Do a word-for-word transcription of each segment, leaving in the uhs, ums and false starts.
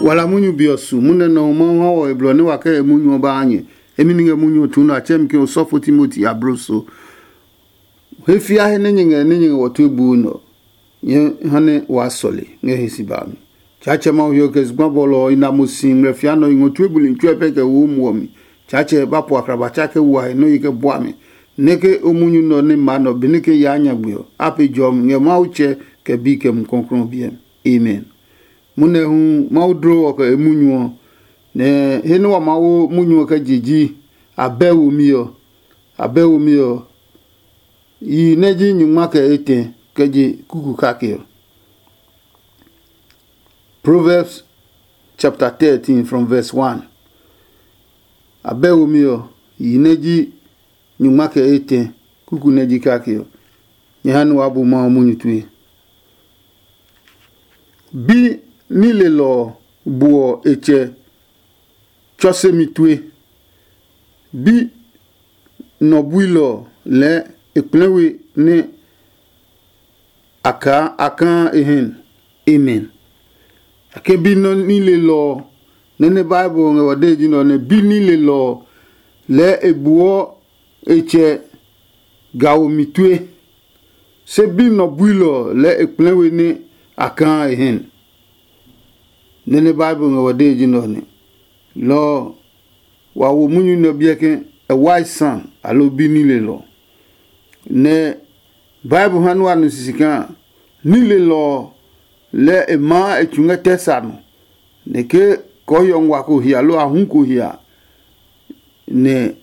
Wala munyu be ɔ su munyu nɛ Mawu ha wɔ he blɔ nɛ wa kɛ he munyu ɔ ba ha nyɛ. Emi ni ngɛ munyu ɔ tuu nɛ a tsɛɛ mi ke osɔfo Timoti abloso. He fia he nɛ nyɛ ngɛ nɛ nyɛ ngɛ wɔ tue buu nɛ ɔ, nyɛ ha nɛ waa sɔle ngɛ he si ba mi. Tsaatsɛ Mawu hiɔ kɛ zugba bɔlɔ ɔ i na mo si ngmlɛ fia nɛ ɔ i ngɔ tue buli tsuɛ pɛ kɛ wo muɔ mi. Tsaatsɛ ba po akrabatsɛ kɛ wa he nɔ́ yi kɛ bua mi. Nɛ ke o munyu nɛ ɔ nɛ ma nɛ ɔ benɛ ke yaa nyagbe ɔ, a pe jɔmi ngɛ Mawu Tsɛ kɛ Bi kɛ Mumi Klɔuklɔu ɔ biɛ mi. Amen. Munɛ hu Mawu dlo ɔ kɛ e munyu ɔ, nɛ he nɛ wa maa wo munyu ɔ kɛ je ji abɛ womi ɔ. Abɛ womi ɔ, yi nɛ ji nyungma kɛ etɛ kɛ je kuku kake ɔ. Proverbs chapter thirteen from verse one. Abɛ womi ɔ, yi nɛ ji nyungma kɛ etɛ kuku nɛ ji kake ɔ, nyɛ ha nɛ waa bu Mawu munyu tue. Bi nilelɔ ɔ buɔ e tsɛ tsɔsemi tue. Bi nɔ builɔ ɔ lɛɛ e kplɛ we nɛ a kaa a kaa e hɛn. Amen. A ke bi nɔ nilelɔ ɔ, nɛ nɛ Bible ngɛ wa dee ji nɛ ɔ, nɛ bi nilelɔ ɔ lɛɛ e buɔ e tsɛ gaomi tue. Se bi nɔ builɔ ɔ lɛɛ e kplɛ we nɛ a kaa e hɛn. Nɛ nɛ Bible ngɛ wa dee ji nɛ ɔ nɛ. Lɔ ɔ, wa wo munyu nɛ ɔ biɛ ke a wise son aloo bi nilelɔ. Nɛ Bible ha nua nu sisi kaa nilelɔ ɔ lɛɛ e maa e tsu ngɛ tɛ sa nɔ, nɛ ke kɔɔhiɔ ngua ko hia loo ahu ko hia, nɛ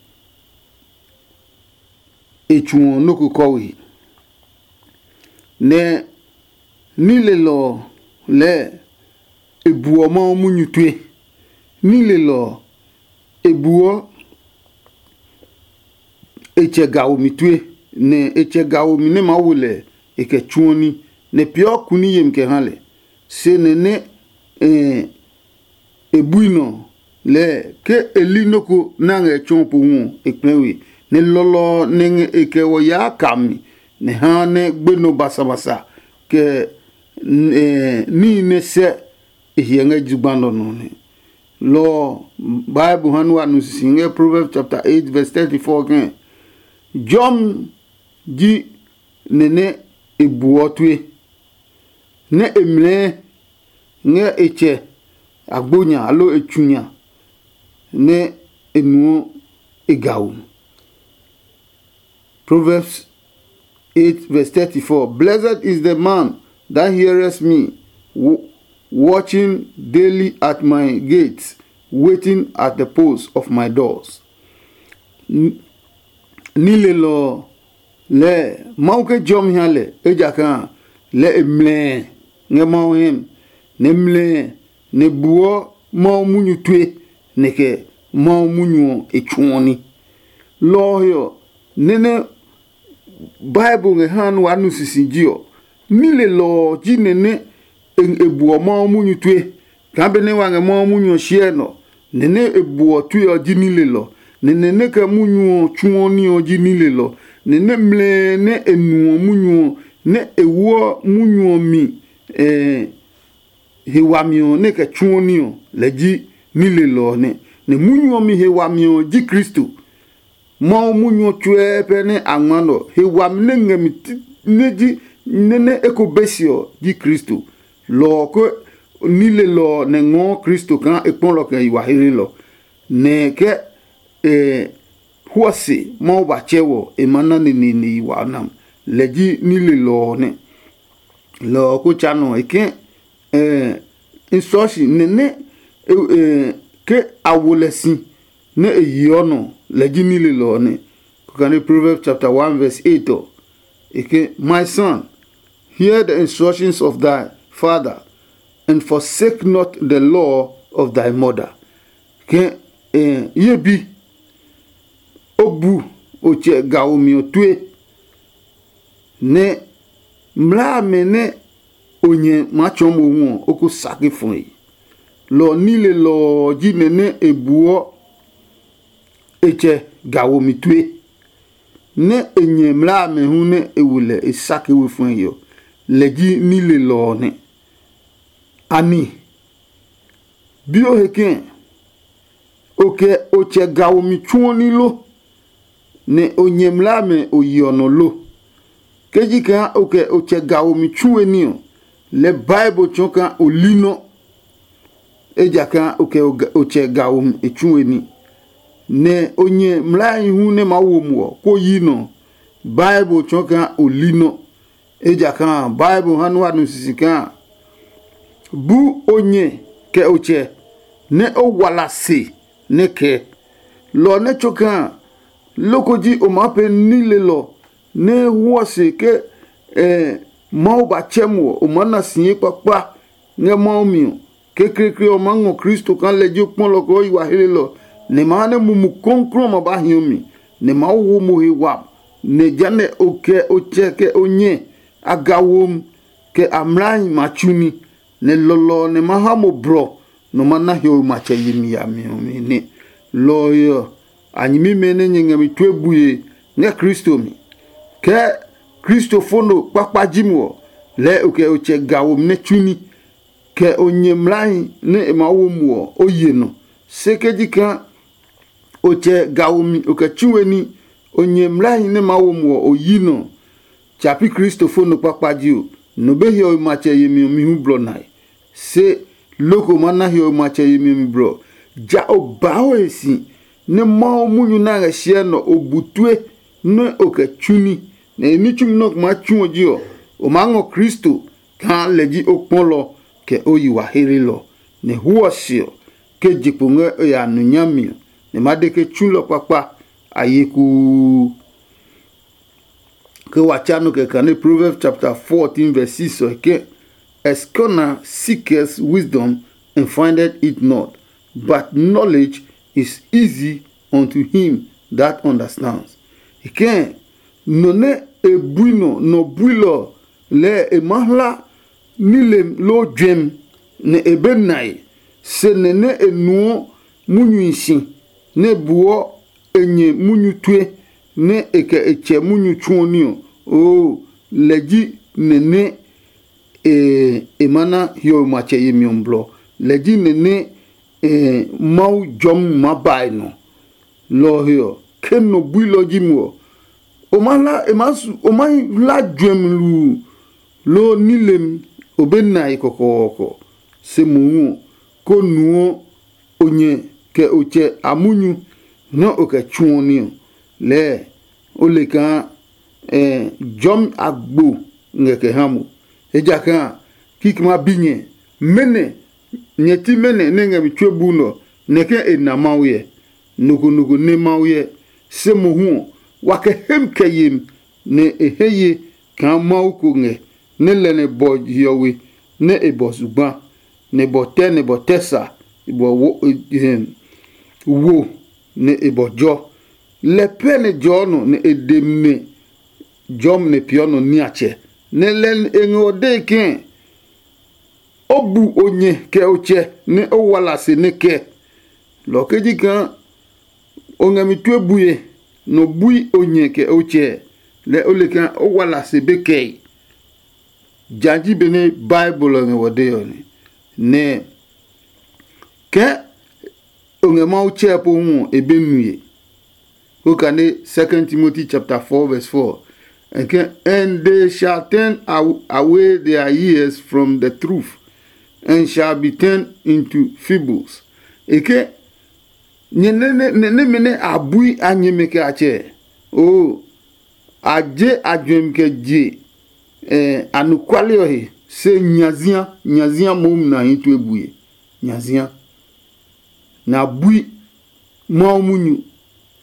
e tsuɔ nɔ́ ko kɔwe. Nɛ nilelɔ ɔ lɛɛ e buɔ Mawu munyu tue. Nilelɔ ɔ, e buɔ e tsɛ gaomi tue, nɛ e tsɛ gaomi nɛ maa wo lɛ e kɛ tsuɔ ní, nɛ peeɔ kuni yemi kɛ ha lɛ. Se nɛ nɛ e bui nɔ lɛɛ ke e li nɔ́ ko nɛ a ngɛ tsɔɔ pohu ɔ, e kplɛɛ we, nɛ lɔlɔ ɔ nɛ ngɛ e kɛ wɔ yaa ka mi, nɛ haa nɛ gbenɔ basabasa kɛ níhi nɛ sɛ e hyɛ ngɛ zugba nɔ nɔ nɛ. Lɔ ɔ, Bible ha nua nu sisi ngɛ Proverbs chapter eight verse thirty-four kɛ̃. Jɔmi ji nɛ nɛ e buɔ tue, nɛ e mlɛɛ ngɛ e tsɛ agbo nya aloo e tsu nya, nɛ e nuɔ e gao. Proverbs eight verse thirty-four. Blessed is the man that heareth me, watching daily at my gates, waiting at the posts of my doors. Nilelɔ ɔ lɛɛ Mawu ke jɔmi ha lɛ, ejakaa lɛ e mlɛɛ ngɛ Mawu hɛ mi, nɛ mlɛɛ nɛ buɔ Mawu munyu tue, nɛ kɛ Mawu munyu ɔ e tsuɔ ní. Lɔ ɔ he ɔ, nɛ nɛ Bible ngɛ haa nɛ waa nu sisiji ɔ, nilelɔ ɔ ji nɛ nɛ e buɔ Mawu munyu tue. Kaa benɛ wa ngɛ Mawu munyu ɔ hyɛe nɔ, nɛ nɛ e buɔ tue ɔ ji nilelɔ, nɛ nɛ nɛ kɛ munyu ɔ tsuɔ ní ɔ ji nilelɔ, nɛ nɛ mlɛɛ nɛ e nuɔ munyu ɔ, nɛ e woɔ munyu ɔ mi he wami ɔ nɛ kɛ tsuɔ ní ɔ, lɛ ji nilelɔ ɔ nɛ. Nɛ munyu ɔ mi he wami ɔ ji Kristo. Mawu munyu ɔ tsuɛ pɛ nɛ a ngma nɛ ɔ, he wami nɛ ngɛ mi nɛ ji nɛ nɛ eko be se ɔ ji Kristo. Lɔ ɔ ko nilelɔ ɔ nɛ ngɔɔ Kristo kaa e kpɔlɔ kɛ yi wa helenɔ, nɛ kɛ e huɔ se Mawu ba tsɛ wɔ e ma na neneene yi wa nam. Lɛ ji nilelɔ ɔ nɛ. Lɔ ɔ ko tsa nɔ e ke n sɔɔ si nɛ nɛ ke a wo lɛ si nɛ e yeɔ nɔ, lɛ ji nilelɔ ɔ nɛ. Kokane Proverbs chapter one verse eight ɔ, e ke, "My son, hear the instructions of thy father, and forsake not the law of thy mother." Ke, ye bi, o bu o tsɛ gaomi ɔ tue, nɛ mlaa amɛ nɛ o nyɛ maa tsɔɔ mohu ɔ, o ko sa ke fɔe. Lɔ ɔ nilelɔ ɔ ji nɛ nɛ e buɔ e tsɛ ga womi tue, nɛ e nyɛ mlaa amɛ hu nɛ e wo lɛ e sa ke we fɔe ɔ, lɛ ji nilelɔ ɔ nɛ. Ani Bi o he kɛ̃, o kɛ o tsɛ ga womi tsuo ní lo, nɛ o nyɛ mlaa mɛ o yeɔ nɔ lo? Ke ji kaa o kɛ o tsɛ ga womi tsue ní ɔ, lɛ Bible tsɔɔ kaa o li nɔ́, ejakaa o kɛ o tsɛ ga womi e tsue ní. Nɛ o nyɛ mlaahi hu nɛ maa wo muɔ kó yi nɔ, Bible tsɔɔ kaa o li nɔ́. Ejakaa Bible ha nɔ́ wa nu sisi kaa, bu o nyɛ kɛ o tsɛ, nɛ o wala se nɛ kɛ. Lɔ ɔ nɛ tso kaa, loko ji o maa pee nilelɔ nɛ huɔ se ke Mawu ba tsɛ mo ɔ, o maa na si ye kpakpa ngɛ Mawu mi ɔ. Kekleekle ɔ maa ngɔ Kristo kaa lɛ ji o kpɔlɔ kɛ o yi wa helelɔ, nɛ e ma ha nɛ Mumi Klɔuklɔu ɔ ma ba hi o mi, nɛ e maa wo mo he wami, nɛ jehanɛ o kɛ o tsɛ kɛ o nyɛ a ga womi, kɛ a mlaahi ma tsu ní, nɛ lɔlɔ ɔ nɛ ma ha mo blɔ nɔ ma na hiɔwe matsɛ yemi yami ɔ mi nɛ. Lɔ ɔ he ɔ, a nyɛmimɛ nɛ nyɛ ngɛ mi tue bue ngɛ Kristo mi. Ke kristofo no kpakpa ji mo ɔ, lɛɛ o kɛ o tsɛ ga womi nɛ tsu ní, kɛ o nyɛ mlaahi nɛ e maa wo mo ɔ, o ye nɔ. Se ke ji kaa o tsɛ ga womi o kɛ tsu we ní, o nyɛ mlaahi nɛ maa wo mo ɔ, o yi nɔ. Tsa pi kristofo no kpakpa ji o, nɔ be hiɔwe matsɛ yemi ɔ mi hu blɔ nae. Se loko ma na hiɔwe matsɛ yemi ɔ mi blɔ. Ja o baa o he si, nɛ Mawu munyu nɛ a ngɛ hyɛ nɔ o bu tue nɛ o kɛ tsu ní, nɛ e ní tsumi nɛ o maa tsu ɔ ji ɔ, o maa ngɔ Kristo kaa lɛ ji o kpɔlɔ kɛ o yi wa heelelɔ, nɛ hu ɔ se ɔ, ke je kpo ngɛ o ya nu nyami ɔ, nɛ ma de ke tsulɔ kpakpa a ye kuu. Ke wa tsa nɔ kɛ kane Proverbs chapter fourteen verse six ɔ ke, "A scholar seeketh wisdom and findeth it not, but knowledge is easy unto him that understands." E ke, nɔ nɛ e bui nɔ nɔ builɔ lɛɛ e maa hla nilem loo juɛmi, nɛ e be nae, se nɛ nɛ e nuɔ munyuhi si nɛ buɔ e nyɛ munyu tue, nɛ e kɛ e tsɛ munyu tsuɔ ní ɔ, oo, lɛ ji nɛ nɛ e e ma na hiɔwe matsɛ yemi ɔ blɔ. Lɛ ji nɛ nɛ e Mawu jɔmi ma ba e nɔ. Lɔ ɔ he ɔ, ke nɔ builɔ ji mo ɔ, o ma hla e ma su o ma hla juɛmi luu, loo nilem o be nae kɔkɔɔkɔ. Se mohu ɔ, ko nuɔ o nyɛ kɛ o tsɛ a munyu nɛ o kɛ tsuɔ ní ɔ, lɛɛ o le kaa jɔmi agbo ngɛ kɛ ha mo. Ejakaa kikɛ ma bi nyɛ, mɛnɔ nyɛ ti mɛnɔ nɛ ngɛ mi tsuo bu nɛ ɔ, nɛ ke e na Mawu hyɛ? Nɔ ko nɔ ko nɛ Mawu hyɛ. Se mohu ɔ, wa kɛ hem kɛ yemi, nɛ e he ye kaa Mawu ko ngɛ, nɛ lɛ nɛ bɔ hiɔwe, nɛ e bɔ zugba, nɛ bɔ tɛ nɛ bɔ tɛ sa, e bɔ wo, wo nɛ e bɔ jɔ. Lɛ pɛ nɛ jɔɔ nɔ nɛ e de mi nɛ jɔmi nɛ peeɔ nɔ niatsɛ, nɛ lɛ e ngɛ ɔ dee kɛ̃, o bu o nyɛ kɛ o tsɛ nɛ o wala se nɛ kɛ. Lɔ ke ji kaa o ngɛ mi tue bue, nɔ bui o nyɛ kɛ o tsɛ, lɛ o le kaa o wala se be kɛe. Ja ji benɛ Bible ɔ ngɛ wɔ dee ɔ nɛ. Nɛ ke o ngɛ Mawu tsɛɛ po hu ɔ, e be nue. Ko kane Second Timothy chapter four verse four. And they shall turn away their ears from the truth, and shall be turned into fables. Eke nyɛ nɛmɛ nɛ a bui a nyɛmɛ kɛ a tsɛ. Oo, a je a juɛmi kɛ je anɔkuale ɔ he, se nyazia nyazia mohu na hi tue bue. Nyazia nɛ a bui Mawu munyu,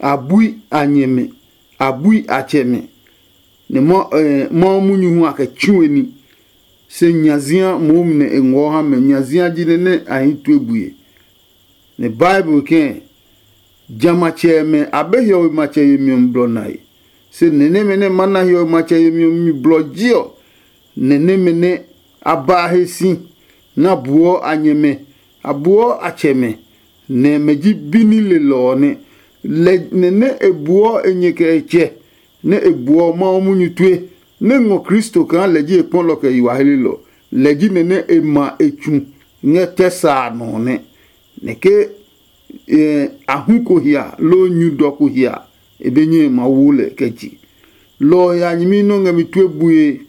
a bui a nyɛmɛ, a bui a tsɛmɛ, nɛ Mawu munyu hu a kɛ tsu e ní. Se nyazia mohu nɛ e ngɔɔ ha mɛ, nyazia ji nɛ nɛ a hi tue bue. Nɛ Bible kɛ̃, jamɛ a tsɛmɛ a be hiɔwe matsɛ yemi ɔ mi blɔ nae. Se nɛ nɛmɛ nɛ ma na hiɔwe matsɛ yemi ɔ mi blɔ ji ɔ, nɛ nɛmɛ nɛ a ba a he si, nɛ a buɔ a nyɛmɛ, a buɔ a tsɛmɛ, nɛ mɛ ji bi ní lelɔ ɔ nɛ. Lɛ nɛ nɛ e buɔ e nyɛ kɛ e tsɛ, nɛ e buɔ Mawu munyu tue, nɛ ngɔ Kristo kaa lɛ ji e kpɔlɔ kɛ yi wa helelɔ. Lɛ ji nɛ nɛ e ma e tsu ngɛ tɛ sa a nɔ ɔ nɛ. nɛ ke a hu ko hia loo nyu dɔ ko hia, e be nyɛe ma wo lɛ kɛ je. Lɔ ɔ he a nyɛmi nɔ́ ngɛ mi tue bue.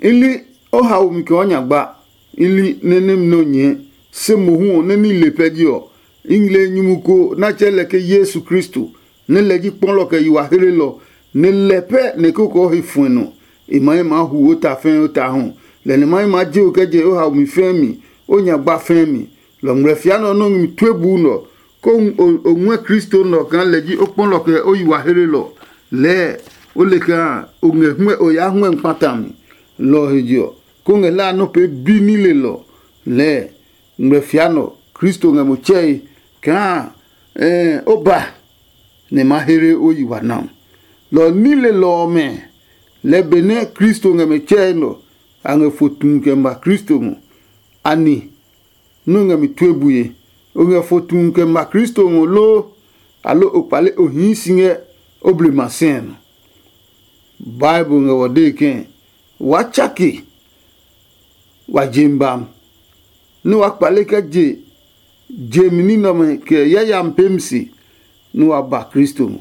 I li o haomi kɛ o nya gba, i li nɛ nɛmi nɛ o nyɛɛ, se mohu ɔ nɛ ní le pɛ ji ɔ, i ngmle nyumu ko nɛ a tsɛɛ lɛ ke Yesu Kristo, nɛ lɛ ji kpɔlɔ kɛ yi wa hlelɔ, nɛ lɛ pɛ nɛ e koko he fuɛ nɔ. E ma he maa hu o ta fɛɛ o ta hu, lɛ nɛ ma he maa je o kɛ je o haomi fɛɛ mi, o nya gba fɛɛ mi. Lɔ ngmlɛ fia nɛ ɔ nɔ́ ngmi tue buu nɔ, kó o ngɔɛ Kristo nɔ kaa lɛ ji o kpɔlɔ kɛ o yi wa hlelɔ. Lɛɛ o le kaa o ngɛ huɛ o yaa huɛ kpata mi. Lɔ ɔ he je ɔ, kó ngɛ hlaa nɔ́ pee bi ní lelɔ. Lɛɛ ngmlɛ fia nɔ Kristo ngɛ mo tsɛe kaa o ba nɛ ma here o yi wa ná. Lɔ ɔ ní lelɔ ɔmɛ, lɛ benɛ Kristo ngɛ mɛ tsɛe nɔ, a ngɛ fo tuu kɛ ma Kristo ngɔ. Ani nɔ́ ngɛ mi tue bue? O ngɛ fo tuu kɛ ma Kristo ngɔ loo, aloo o kpale o hii si ngɛ o blema sɛɛ nɔ? Bible ngɛ wɔ dee kɛ̃, waa tsake wa jem bam, nɛ wa kpale kɛ je je mi ní nɛ ɔmɛ kɛ yayami peemi se, nɛ wa ba Kristo ngɔ,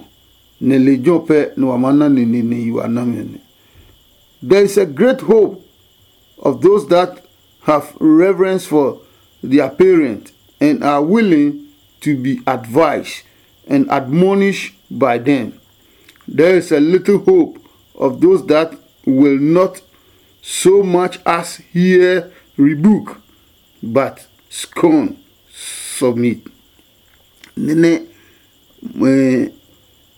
nɛ lejɛ ɔ pɛ nɛ wa maa na neneene yi wa nami ɔ nɛ. There is a great hope of those that have reverence for their parents and are willing to be advised and admonished by them. There is a little hope of those that will not so much as hear rebuke, but scorn submit. Nene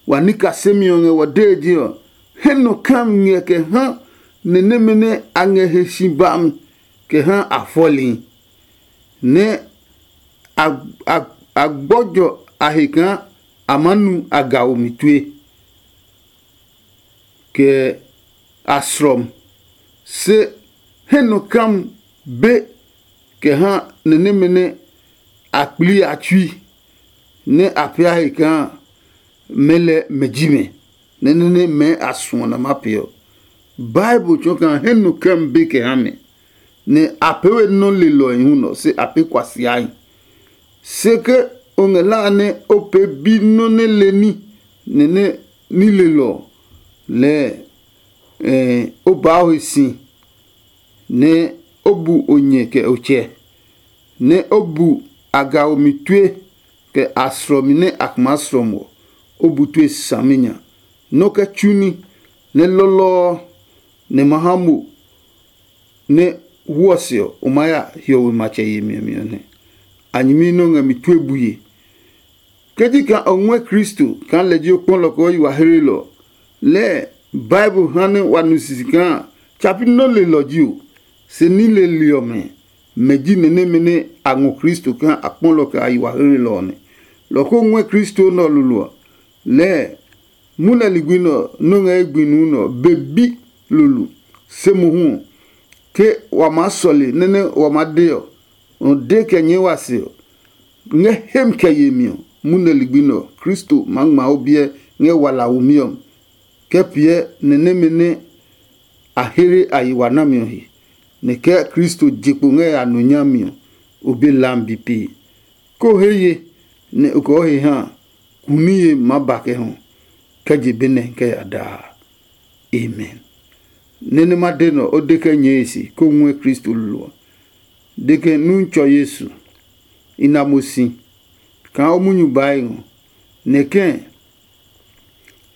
wa ní kasemi ɔ ngɛ wɔ dee ji ɔ, he nɔ kam ngɛ kɛ ha nɛ nɛmɛ nɛ a ngɛ he si bami kɛ ha a fɔli, nɛ a gbɔjɔ a he kaa a maa nu a ga omi tue kɛ a srɔm. Se he nɔ kam be kɛ ha nɛ nɛmɛ nɛ a kpli a tsui, nɛ a pia he kaa mɛ lɛ mɛ ji mɛ, nɛ nɛ nɛ mɛɛ a suɔ nɛ ma pee ɔ. Bible tsɔɔ kaa he nɔ kam be kɛ ha mɛ, nɛ a pee we nɔ́ lelɔe hu nɔ se a pee kuasiahi. Se ke o ngɛ hlaa nɛ o pee bi nɔ́ nɛ le ní nɛ nɛ ní lelɔ ɔ, lɛɛ o baa o he si, nɛ o bu o nyɛ kɛ o tsɛ, nɛ o bu a ga omi tue kɛ a srɔmi nɛ a kuma srɔm ɔ, o bu tue saminya. Nɔ́ kɛ tsu ní, nɛ lɔlɔɔ nɛ ma ha mo nɛ hwɔ se ɔ, o maa ya hiɔwe matsɛ yemi ɔ mi ɔ nɛ. A nyɛmi nɛ o ngɛ mi tue bue. Ke ji kaa o ngɔɛ Kristo kaa lɛ ji o kpɔlɔ kɛ o yi wa hlelɔ ɔ, lɛɛ Bible ha nɛ wa nu sisi kaa tsapi nɔ́ lelɔ ji o, se ní leli ɔmɛ, mɛ ji nɛ nɛmɛ nɛ a ngɔ Kristo kaa a kpɔlɔ kɛ a yi wa hlelɔ ɔ nɛ. Lɔ ko ngɔɛ Kristo nɛ ɔ lolo ɔ, lɛɛ munɛ ligbi nɛ ɔ nɔ́ ngɛ ye gbi nuu nɛ ɔ be bi lolo. Se mohu ɔ, ke wa maa sɔle nɛ nɛ wa maa de ɔ, nɔ de kɛ nyɛɛ wa se ɔ, ngɛ hem kɛ yemi ɔ, munɛ ligbi nɛ ɔ, Kristo maa ngma o biɛ ngɛ walaomi ɔ mi, kɛ piɛ nɛ nɛmɛ nɛ a here a yi wa nami ɔ he, nɛ kɛ Kristo je kpo ngɛ a nu nyami ɔ, o be lambi pee. Ke o he ye, nɛ o kɛ o he ha a, kuniye maa ba kɛ hɔ, kɛ je be nɛ kɛ ya daa. Amen. Nɛ nɛ ma de nɛ ɔ, o de kɛ nyɛɛ e se, kó ngɔɛ Kristo lolo ɔ. De ke Nutsɔ Yesu, i na mo si kaa o munyu baa e ngɔ, nɛ kɛ̃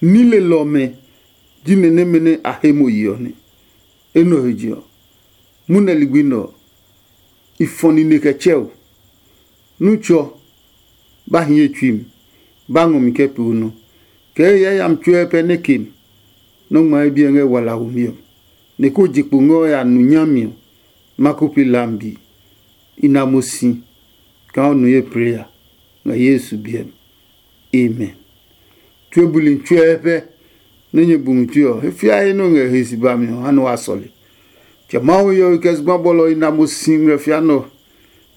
ní lelɔ ɔmɛ ji nɛ nɛmɛ nɛ a he mo ye ɔ nɛ. Enɛ ɔ he je ɔ, munɛ ligbi nɛ ɔ, i fɔ nine kɛ tsɛ o. Nutsɔ, ba hi ye tsui mi, ba ngɔ mi kɛ pee o nɔ. Kɛ he yayami tsuɛ pɛ nɛ ke mi, nɔ́ ngma ye biɛ ngɛ walaomi ɔ, nɛ ko je kpo ngɛ o ya nu nyami ɔ, ma ko pee lambi. I na mo si kaa o nu ye plee ya ngɛ Yesu biɛ mi. Amen. Tue buli tsuɛ pɛ nɛ nyɛ bu mi tue ɔ, he fiae nɛ o ngɛ he si bami ɔ, ha nɛ wa sɔle. Tsɛ Mawu he ɔ kɛ zugba bɔlɔ i na mo si ngmlɛ fia nɛ ɔ.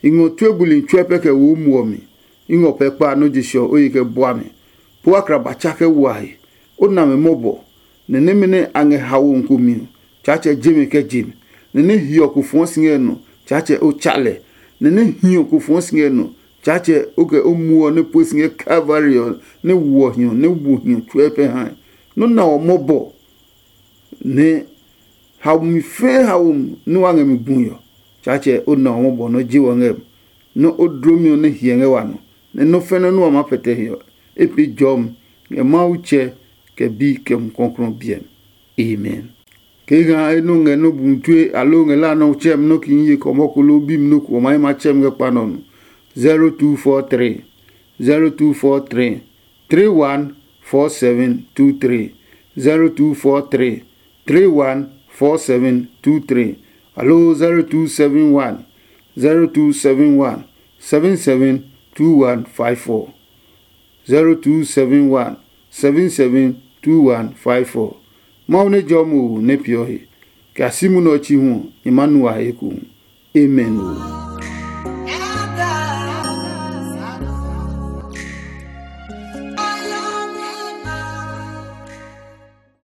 I ngɔ tue buli tsuɛ pɛ kɛ wo muɔ mi. I ngɔ pɛ kpa nɔ́ je se ɔ o ye kɛ bua mi. Po akraba tsa kɛ wa he. O na mɛ mɔbɔ, nɛ nɛmɛ nɛ a ngɛ haomi ko mi ɔ, Tsaatsɛ je mɛ kɛ je mi, nɛ nɛ hiɔ ko fɔɔ si ngɛ nɔ, Tsaatsɛ o tsa lɛ. nɛ nɛ hiɔ ko fɔɔ si ngɛ nɔ. Tsaatsɛ, o kɛ o muɔ nɛ pue si ngɛ Kalvari ɔ, nɛ woɔ hiɔ, nɛ wo hiɔ tsuɛ pɛ hae. Nɔ́ na ɔ mɔbɔ, nɛ haomi fɛɛ haomi nɛ wa ngɛ mi gui ɔ, Tsaatsɛ, o na ɔ mɔbɔ nɔ́ je wɔ ngɛ mi, nɔ́ o dlomi ɔ nɛ hiɛ ngɛ wa nɔ, nɛ nɔ́ fɛnɛ nɛ wa maa pɛtɛ he ɔ, e pee jɔmi ngɛ Mawu Tsɛ, kɛ Bi, kɛ Mumi Klɔuklɔu biɛ mi. Amen. Kee kaa e nɔ ngɛ nɔ́ bu tue aloo ngɛ la nɔ́ tsɛmi nɔ́ ki ye kɔmɔ ko loo bimi nɔ́ ko ɔ ma yi ma tsɛmi ngɛ kpa nɔ nɔ. Zero two four three, zero two four three, three one four seven two three, zero two four three, three one four seven two three, aloo zero two seven one, zero two seven one, seven seven two one five four. Zero two seven one, seven seven two one five four. Mawu nɛ jɔ mo nɛ piɔ he, kɛ a si munɛ ɔ chi hu ɔ, nyɛ ma nu a he ekohu. Amen.